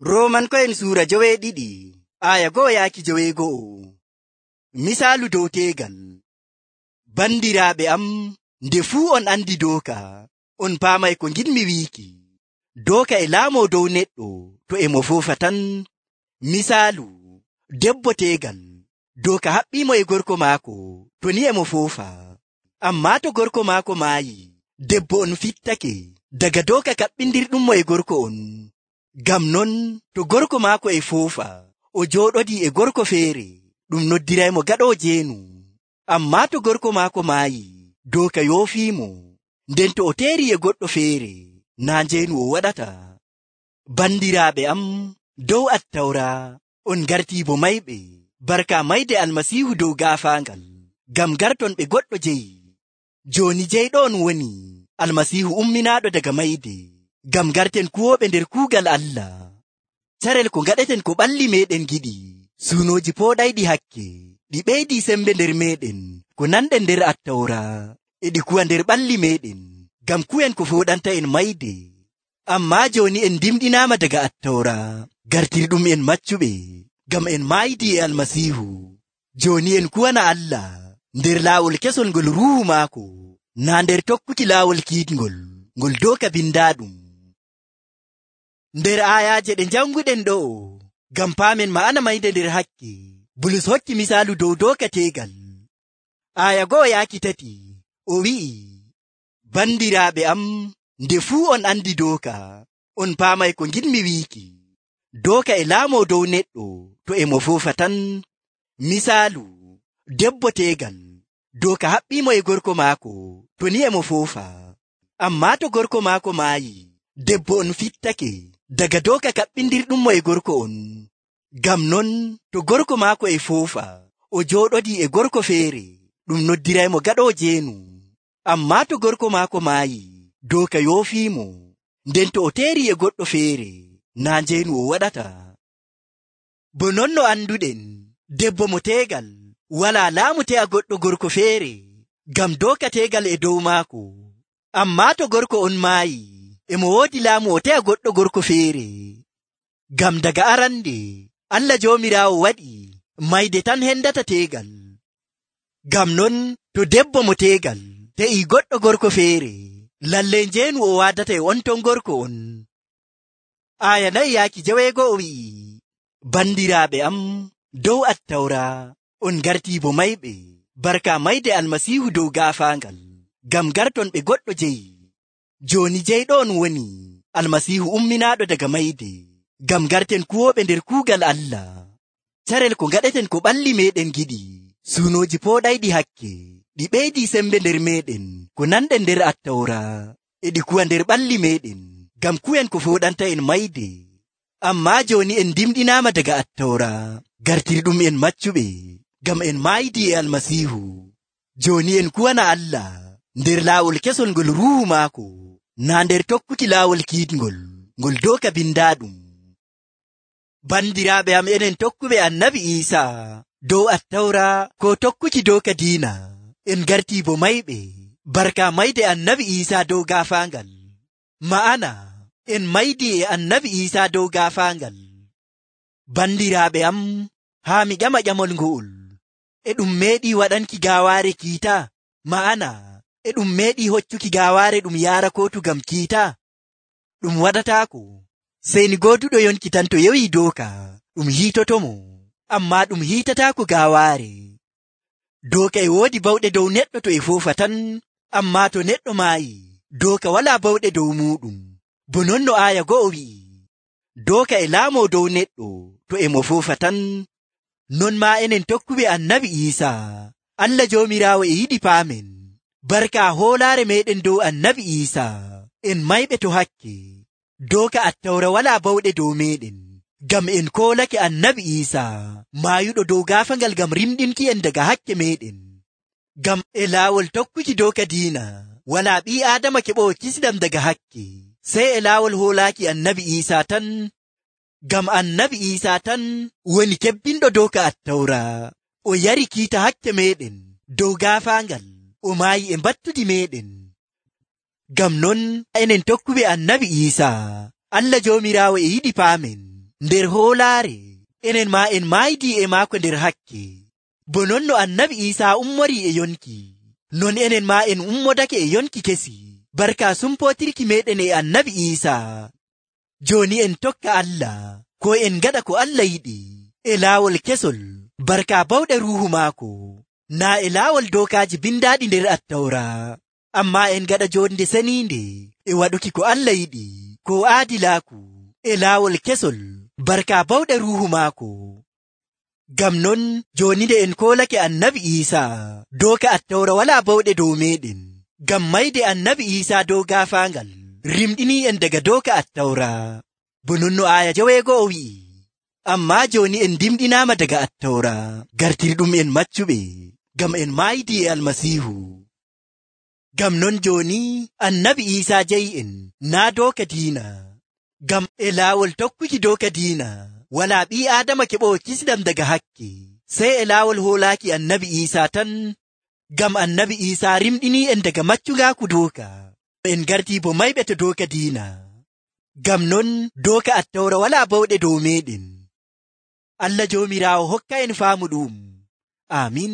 Roomanko'en suura 12 aya 1-12. Misaalu dow teegal. Bandiraaɓe am, nde fuu on andi dooka, on paamay ko ngiɗmi wiiki. Dooka e laamoo dow neɗɗo to e mo foofa tan. Misaalu, debbo teegal, dooka haɓɓiimo e gorko maako to ni e mo foofa. Ammaa to gorko maako maayi, debbo on fittake daga dooka kaɓɓindirɗummo e gorko on. Ngam non, to gorko maako e foofa, o jooɗodii e gorko feere, ɗum noddiraymo gaɗoowo jeenu. Ammaa to gorko maako maayi, dooka yoofiimo, nden to o teeri e goɗɗo feere, naa njeenu o waɗata. Bandiraaɓe am, dow Attawra, on ngartii bo mayɓe, barka mayde Almasiihu dow gaafaangal, ngam garton ɓe goɗɗo jeyi. Jooni jeyɗo on woni Almasiihu umminaaɗo daga mayde, ngam garten kuwooɓe nder kuugal Allah. Carel ko ngaɗeten ko ɓalli meeɗen giɗi, suunooji pooɗayɗi hakke, ɗi ɓeydii sembe nder meeɗen ko nanɗen nder Attawra, e ɗi kuwa nder ɓalli meeɗen, ngam kuwen ko fooɗanta'en mayde. Ammaa jooni en dimɗinaama daga Attawra, gartirɗum en maccuɓe, ngam en maayidii e Almasiihu. Jooni en kuwana Allah nder laawol kesol ngol Ruuhu maako, naa nder tokkuki laawol kiitngol, ngol dooka bindaaɗum. Nder aayaaje ɗe janguɗen ɗo'o, ngam paamen ma'ana mayde nder hakke, Bulus hokki misaalu dow dooka teegal. Aaya 1-3 o wi'i, bandiraaɓe am, nde fuu on andi dooka, on paamay ko ngiɗmi wiiki. Dooka e laamoo dow neɗɗo to e mo foofa tan. Misaalu, debbo teegal, dooka haɓɓiimo e gorko maako to ni e mo foofa. Ammaa to gorko maako maayi, debbo on fittake daga dooka kaɓɓindirɗummo e gorko on. Ngam non, to gorko maako e foofa, o jooɗodii e gorko feere, ɗum noddiraymo gaɗoowo jeenu. Ammaa to gorko maako maayi, dooka yoofiimo, nden to o teeri e goɗɗo feere, naa njeenu o waɗata. Bo non no anduɗen, debbo mo teegal walaa laamu te'a goɗɗo gorko feere, ngam dooka teegal e dow maako. Ammaa to gorko on maayi, e mo woodi laamu o te'a goɗɗo gorko feere. Ngam daga arande, Allah Joomiraawo waɗi mayde tan hendata teegal. Ngam non, to debbo mo teegal te'ii goɗɗo gorko feere, lallay njeenu o waadata e on ton gorko on. Aaya 4-6 o wi'i, bandiraaɓe am, dow Attawra, on ngartii bo mayɓe, barka mayde Almasiihu dow gaafaangal, ngam garton ɓe goɗɗo jeyi. Jooni jeyɗo on woni Almasiihu umminaaɗo daga mayde, ngam garten kuwooɓe nder kuugal Allah. Carel ko ngaɗeten ko ɓalli meeɗen giɗi, suunooji pooɗayɗi hakke, ɗi ɓeydii sembe nder meeɗen ko nanɗen nder Attawra, e ɗi kuwa nder ɓalli meeɗen, ngam kuwen ko fooɗanta'en mayde. Ammaa jooni en dimɗinaama daga Attawra, gartirɗum en maccuɓe, ngam en maayidii e Almasiihu. Jooni en kuwana Allah nder laawol kesol ngol Ruuhu maako, naa nder tokkuki laawol kiitngol, ngol dooka bindaaɗum. Bandiraaɓe am, enen tokkuɓe Annabi Iisaa, dow Attawra ko tokkuki dooka diina, en gartii bo mayɓe, barka mayde Annabi Iisaa dow gaafaangal. Ma'ana, en maydii e Annabi Iisaa dow gaafaangal. Bandiraaɓe am, haa mi ƴama ƴamol ngo'ol, e ɗum meeɗii waɗanki gaawaare kiita? Ma'ana, e ɗum meeɗii hoccuki gaawaare ɗum yaara kootu ngam kiita? Ɗum waɗataako, sey ni gooduɗo yonki tan to yewii dooka, ɗum hiitotomo, ammaa ɗum hiitataako gaawaare. Dooka e woodi bawɗe dow neɗɗo to e foofa tan, ammaa to neɗɗo maayi, dooka walaa bawɗe dow muuɗum. Bo non no aaya 1 wi'i, dooka e laamoo dow neɗɗo to e mo foofa tan. Non maa enen tokkuɓe Annabi Iisaa, Allah Joomiraawo e yiɗi paamen, barka hoolaare meeɗen dow Annabi Iisaa, en mayɓe to hakke. Dooka Attawra walaa bawɗe dow meeɗen, ngam en koolake Annabi Iisaa, maayuɗo dow gaafaangal ngam rimɗinki en daga hakke meeɗen. Ngam e laawol tokkuki dooka diina, walaa ɓii Aadama keɓowo kisɗam daga hakke, sey e laawol hoolaaki Annabi Iisaa tan. Ngam Annabi Iisaa tan woni kebbinɗo dooka Attawra, o yari kiita hakke meeɗen dow gaafaangal, o maayi e mbattudi meeɗen. Ngam non enen tokkuɓe Annabi Iisaa, Allah Joomiraawo e yiɗi paamen, nder hoolaare enen maa en maaydi e maako nder hakke. Bo non no annabi Iisaa ummori e yonki, non enen maa en ummodake e yonki kesi barka sumpootirki meeɗen e annabi Iisaa. Jooni en tokka Allah, ko en gaɗa ko Allah yiɗi e laawol kesol barka bawɗe Ruuhu maako, naa e laawol dookaaji bindaaɗi nder Attawra, ammaa en gaɗa jonde seniinde e waɗuki ko Allah yiɗi, ko aadilaaku e laawol kesol barka bawɗe Ruuhu maako. Ngam non jooni nde en koolake annabi Iisaa dooka Attawra walaa bawɗe dow meeɗen, ngam mayde annabi Iisaa dow gaafaangal rimɗinii en daga dooka Attawra. Bo non no aaya 9 wi'i, ammaa jooni en dimɗinaama daga Attawra gartirɗum en maccuɓe, ngam en maaydi e Almasiihu. Ngam non jooni annabi Iisaa jayi'en naa dooka diina, ngam e laawol tokkuki dooka diina walaa ɓii Aadama keɓowo kisndam daga hakke, sey e laawol hoolaaki annabi Iisaa tan. Ngam annabi Iisaa rimɗinii en daga maccungaaku dooka, en gartii bo mayɓe to dooka diina. Ngam non dooka Attawra walaa bawɗe dow meeɗen. Allah Joomiraawo hokka en faamu ɗum. Aamin.